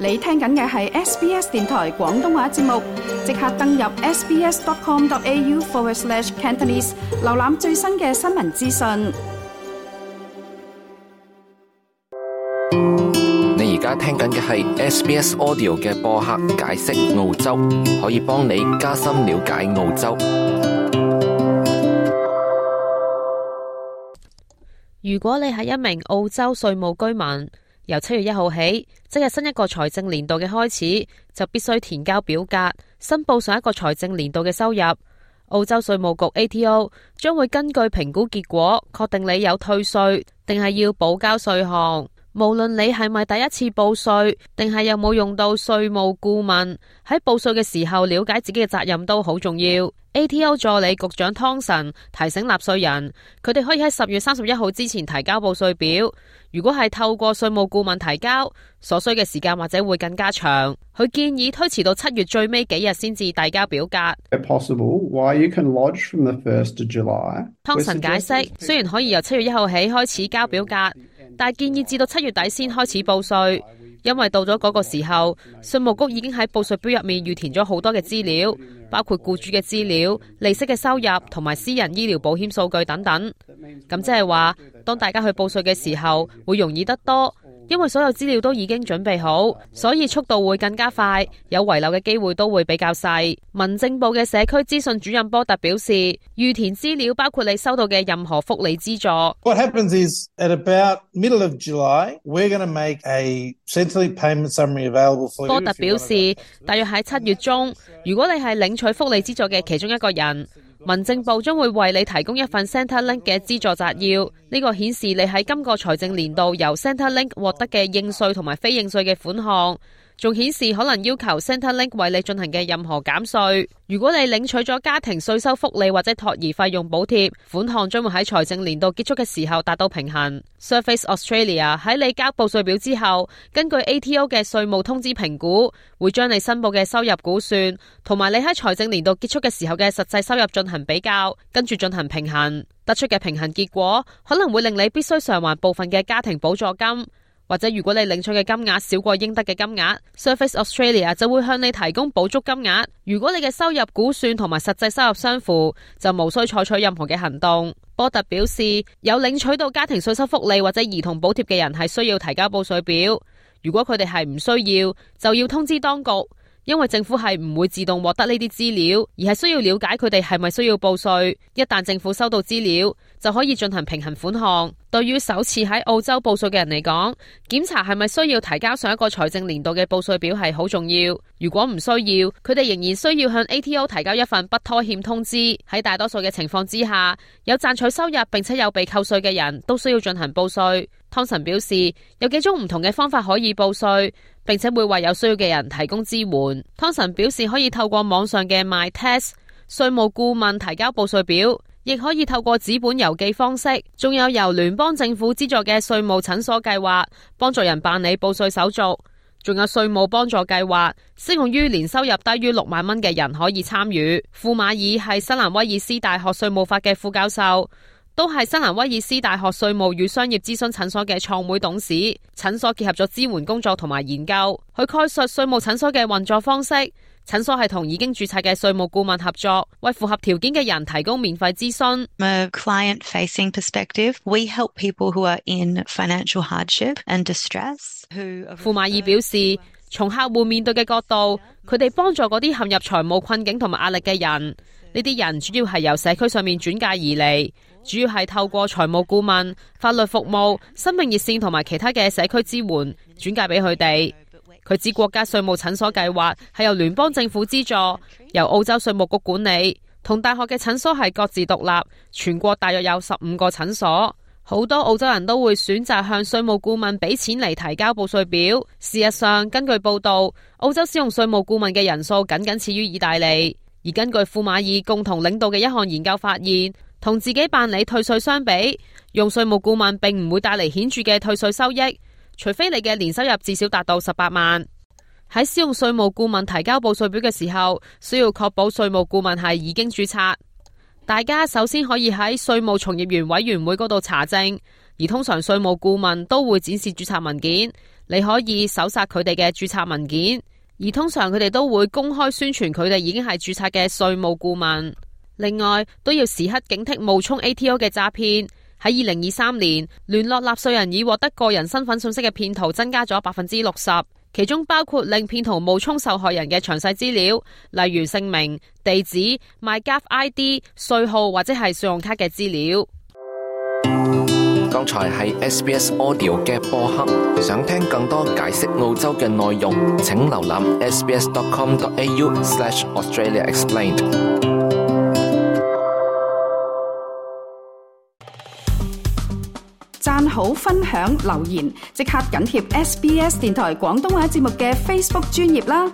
你聽緊嘅係 SBS 電台廣東話節目，即刻登入 sbs.com.au/Cantonese 瀏覽最新嘅新聞資訊。你而家聽緊嘅係 SBS Audio 嘅播客解釋澳洲，可以幫你加深了解澳洲。如果你係一名澳洲稅務居民，由7月1號起，即係新一個財政年度嘅開始，就必須填交表格，申報上一個財政年度嘅收入。澳洲稅務局 ATO 將會根據評估結果，確定你有退稅定係要補交稅項。無論你係咪第一次報稅，定係有冇用到稅務顧問，喺報稅嘅時候了解自己嘅責任都好重要。ATO 助理局長湯臣提醒納稅人，佢哋可以喺10月31號之前提交報稅表。如果係透過稅務顧問提交，所需嘅時間或者會更加長。佢建議推遲到7月最尾幾日先至遞交表格。湯臣解釋，雖然可以由7月1號起開始交表格，但係建議至到7月底先開始報稅，因為到咗嗰個時候，稅務局已經喺報稅表入面預填咗好多嘅資料，包括僱主嘅資料、利息嘅收入同埋私人醫療保險數據等等。咁即係話，當大家去報稅嘅時候，會容易得多，因為所有資料都已經準備好，所以速度會更加快，有遺漏嘅機會都會比較細。民政部嘅社區資訊主任波特表示，預填資料包括你收到嘅任何福利資助。What happens is at about middle of July, we're going to make a Centrelink payment summary available for you. 波特表示，大約喺7月中，如果你係領取福利資助嘅其中一個人，民政部將會為你提供一份 Centrelink 嘅資助摘要，呢個顯示你喺今個財政年度由 Centrelink 獲得嘅應稅同埋非應稅嘅款項，仲顯示可能要求 Centrelink 為你進行嘅任何減稅。如果你領取咗家庭稅收福利或者托兒費用補貼，款項將會喺財政年度結束嘅時候達到平衡。Surface Australia 喺你交報稅表之後，根據 ATO 嘅稅務通知評估，會將你申報嘅收入估算同埋你喺財政年度結束嘅時候嘅實際收入進行比較，跟住進行平衡。得出嘅平衡結果可能會令你必須償還部分嘅家庭補助金，或者如果你領取嘅金額少過應得嘅金額， Surface Australia 就會向你提供補足金額。如果你嘅收入估算同埋實際收入相符，就無需採取任何嘅行動。波特表示，有領取到家庭稅收福利或者兒童補貼嘅人係需要提交報稅表，如果佢哋係唔需要，就要通知當局。因為政府係唔會自動獲得呢啲資料，而係需要了解佢哋係咪需要報稅。一旦政府收到資料，就可以進行平衡款項。對於首次喺澳洲報稅嘅人嚟講，檢查係咪需要提交上一個財政年度嘅報稅表係好重要。如果唔需要，佢哋仍然需要向 ATO 提交一份不拖欠通知。喺大多數嘅情況之下，有賺取收入並且有被扣稅嘅人都需要進行報稅。湯臣表示，有幾種唔同嘅方法可以報稅，並且會為有需要嘅人提供支援。湯臣表示，可以透過網上嘅 MyTax 稅務顧問提交報稅表，亦可以透過紙本郵寄方式，仲有由聯邦政府資助嘅稅務診所計劃，幫助人辦理報稅手續。仲有稅務幫助計劃，適用於年收入低於6萬蚊嘅人可以參與。庫馬爾係新南威爾斯大學稅務法嘅副教授，都係新南威爾斯大學稅務與商業諮詢診所嘅創會董事。診所結合咗支援工作同埋研究，佢概述稅務診所嘅運作方式。診所係同已經註冊嘅稅務顧問合作，為符合條件嘅人提供免費諮詢。From a client-facing perspective, we help people who are in financial hardship and distress. 庫馬爾表示，從客戶面對嘅角度，佢哋幫助嗰啲陷入財務困境同埋壓力嘅人。呢啲人主要係由社區上面轉介而嚟，主要係透過財務顧問、法律服務、生命熱線同埋其他嘅社區支援轉介俾佢哋。佢指國家稅務診所計劃係由聯邦政府資助，由澳洲稅務局管理，同大學嘅診所係各自獨立。全國大約有15個診所，好多澳洲人都會選擇向稅務顧問俾錢嚟提交報稅表。事實上，根據報道，澳洲使用稅務顧問嘅人數僅次於意大利。而根據庫馬爾共同領導嘅一項研究發現，同自己辦理退稅相比，用稅務顧問並唔會帶嚟顯著嘅退稅收益，除非你嘅年收入至少達到18萬。喺使用稅務顧問提交報稅表嘅時候，需要確保稅務顧問係已經註冊。大家首先可以喺稅務從業員委員會嗰度查證，而通常稅務顧問都會展示註冊文件，你可以搜索佢哋嘅註冊文件，而通常佢哋都會公開宣傳佢哋已經係註冊嘅稅務顧問。另外，都要時刻警惕冒充 ATO 嘅詐騙。喺2023年，聯絡納稅人已獲得個人身份信息嘅騙徒增加咗 60%， 其中包括令騙徒冒充受害人嘅詳細資料，例如姓名、地址、MyGov ID、稅號或者係信用卡嘅資料。剛才係 SBS Audio 嘅播客，想聽更多解釋澳洲嘅內容，請瀏覽 sbs.com.au/AustraliaExplained。讚好、分享、留言，即刻緊貼SBS 電台廣東話節目嘅 Facebook 專頁啦！